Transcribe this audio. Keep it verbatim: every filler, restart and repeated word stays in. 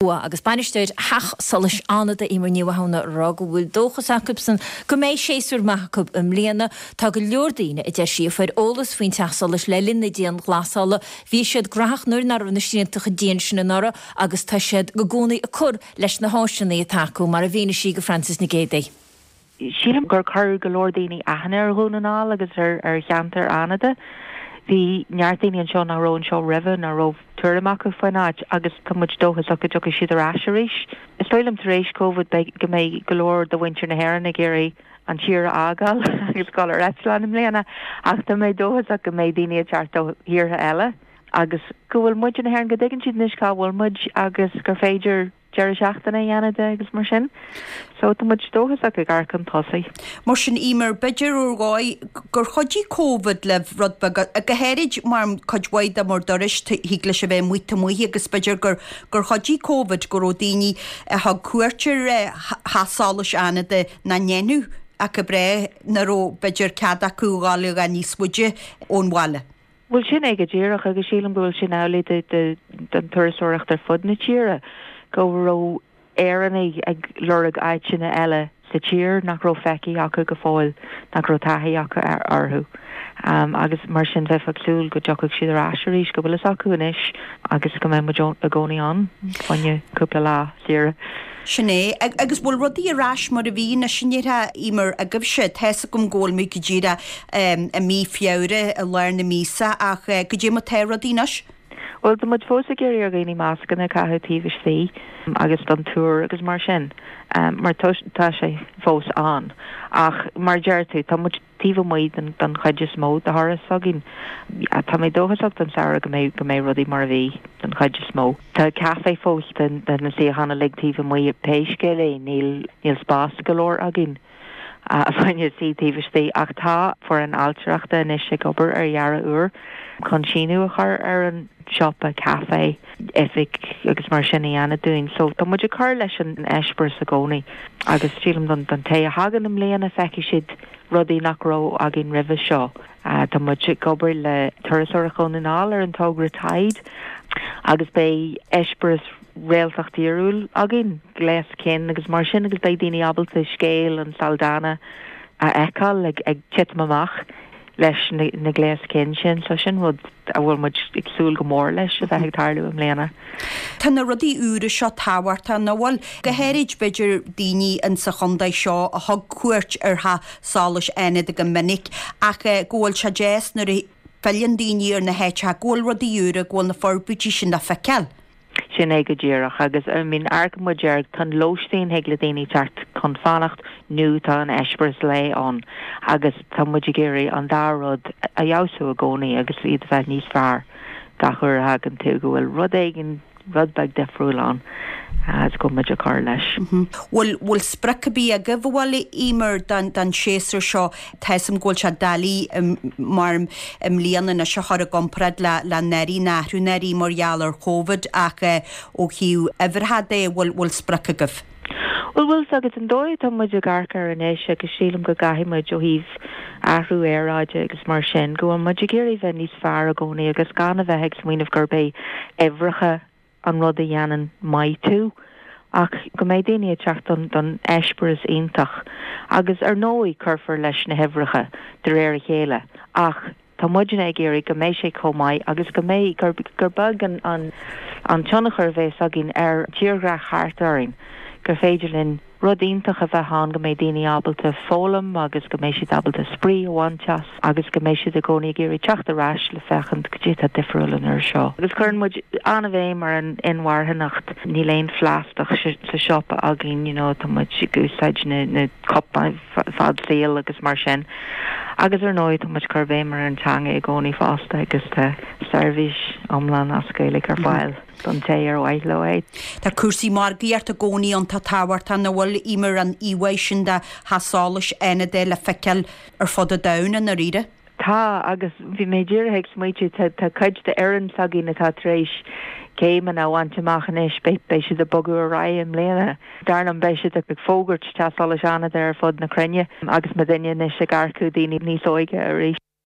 Agus bainisteoir Theach Solais Fhánada Eimear Ní Mhathúna ag rá go bhfuil dóchas acusan go mbeidh séasúr maith acu i mbliana tá go leor daoine a deir sí a fuair eolas faoin teach solais le linn na dianghlasála bhí siad gnóthach nuair nach raibh na srianta dian sin anuraidh agus tá siad i gcónaí ag cur leis na háiseanna atá acu mar a mhínigh sí do Francis Nic Géadaigh. Sílim gur chuir go leor daoine aithne ar Dhún na nGall agus ar ar cheantar Fhánada. Bhí neart daoine anseo nach raibh anseo roimhe nach raibh tuairim acu faoin áit agus tá muid dóchasach go dtiocfaidh siad ar ais arís. Is dóigh liom tar éis COVID beidh go mbeidh go leor de mhuintir na hÉireann ag iarraidh an tír a fhágáil agus dul ar eitleán i mbliana ach tá mé dóchasach go mbeidh daoine ag teacht ó thíortha eile agus go bhfuil muid na hÉireann go dtuigeann siad anois cá bhfuil muid agus gur féidir deireadh seachtaine a dhéanamh de agus mar sin. So tá muid dóchasach ag amharc chun tosaigh. Mar sin Eimear b'fhéidir ar dhóigh gur chuidigh COVID le rud beag go háirid mar cuid mhaith de bhur dturais thig leis a bheith amuigh amuigh agus b'fhéidir gur gur chuidigh COVID go raibh daoine a thug cuairt ar Theach Solais Fhánada nach ndéanfadh ach go breá nach raibh b'fhéidir cead acu dul níos faide ón bhaile. Well sin é go díreach agus sílim go bhfuil sin amhlaidh den turasóireacht ar fud na tíre go raibh Éireannaigh ag lorg áiteanna eile sa tír nach raibh feicthe acu go fóill nach raibh taithí acu orthu. Um, agus mar sin bheith ag súil go dtiocfaidh siad ar ais arís go bhfuil fhios acu anois agus go mbeidh muid i gcónaí ann fá choinne cúpla lá saoire. Sin é agus bhfuil rudaí ar ais mar a bhí na sinetha mar agaibhse tá a fhios agam go bhfuil mé go díreach i mí Feabhra i lár na míosa ach go dtí mar tá rudaí anois. Well tá muid fós ag iarraidh ar dhaoine mascanna a chaitheamh taobh istigh agus don túr agus mar sin um, mar tá sé fós ann ach mar deir tú tá muid taobh amuigh den den chuid is mó de thuras againn. Tá mé dóchasach don samhradh go mbeidh go mbeidh rudaí mar a bhí den chuid is mó. Tá caife fós den den na suíocháin uilig taobh amuigh pé scéal é níl níl spás go leor againn. a bhaine sí taobh istigh ach tá foireann ailtireachta anois ag obair ar dhearadh úr chun síneadh a chur ar an siopa caife oifig agus mar sin a dhéanamh dúinn. So tá muid ag cur leis an eispéireas i gcónaí agus sílim don don té a thagann i mbliana feicfidh siad rudaí nach raibh againn roimhe seo. Uh, tá muid ag obair le Turasóireacht Dhún na nGall ar an togra Tide agus beidh eispéireas réaltacht fhíorúil againn gléas cinn agus mar sin agus beidh daoine ábalta scéal an Saldanha a fheiceáil ag, ag titim amach leis na, na gléas cinn sin, so sin rud a bhfuil muid ag súil go mór leis a bheith ag tarlú i mbliana. Tá na rudaí úra seo tábhachtach nach bhfuil go háirid b'fhéidir daoine in sa chontae seo a thug cuairt ar Theach Solais Fhánada go minic ach go bhfuil sé deas nuair a fhilleann daoine ar na háiteacha go bhfuil rudaí úra go bhfuil na forbairtí sin le feiceáil. Sin é go díreach agus I mean amharcann muid ar tá lóistín thig le daoine teacht chun fanacht nó tá an eispéireas lae ann agus tá muid ag iarraidh an dá rud a fheabhsú i gcónaí agus iad a bheith níos fearr gach uair a thagann tú go bhfuil rud éigin rud beag difriúil ann agus go muid ag cur leis. Bhfuil bhfuil sprioc ar bith agaibh a bhfuil Eimear don don séasúr seo tá a fhios agam go bhfuil sé doiligh mar i mbliana anois a chur i gcomparáid le le anuraidh na athrú anuraidh mar gheall ar COVID ach ó thaobh uimhreacha de bhfuil bhfuil sprioc agaibh. Well bhfuil agus an dóigh tá muid ag amharc air anois agus sílim go gcaithfidh muid ó thaobh athrú aeráide agus mar sin go bhfuil muid ag iarraidh bheith níos fearr i gcónaí agus gan a bheith ag smaoineamh gurb é uimhreacha an rud a dhéanann maith tú ach go mbeidh daoine ag teacht don don eispéireas iontach agus ar ndóigh cuirfear leis na huimhreacha de réir a chéile ach tá muidne ag iarraidh go mbeidh sé chomh maith agus go mbeidh gur gur beag an an an tionchar a bheas againn ar tírdhreach thart orainn gur féidir linn rud iontach a bheith ann go mbeidh daoine ábalta foghlaim agus go mbeidh siad ábalta spraoi a bhaint as agus go mbeidh siad i gcónaí ag iarraidh teacht ar ais le féachaint cad é atá difriúil an uair seo. Agus cuireann muid an-bhéim ar an inmharthanacht níl aon phlaisteach sa siopa againn you know, tá muid ag úsáid na, na cupáin fad saoil agus mar sin. Agus ar ndóigh tá muid cur béim ar an teanga i gcónaí fosta agus tá seirbhís iomlán as Gaeilge ar fáil don té ar mhaith leo é. Tá cúrsaí margaíochta i gcónaí iontach tábhachtach nach bhfuil Eimear an íomhá sin de Theach Solais Fhánada le feiceáil ar fud an domhain i ndáiríre. Tá agus bhí mé díreach ag smaointiú tá cuid d'fhoireann s'againn atá tar éis céimeanna a bhaint amach anois beidh beidh siad ag bogadh ar aghaidh i mbliana. Dar liom beidh siad ag fógairt Teach Solais Fhánada ar fud na cruinne agus muidne anois ag earcú daoine níos óige arís.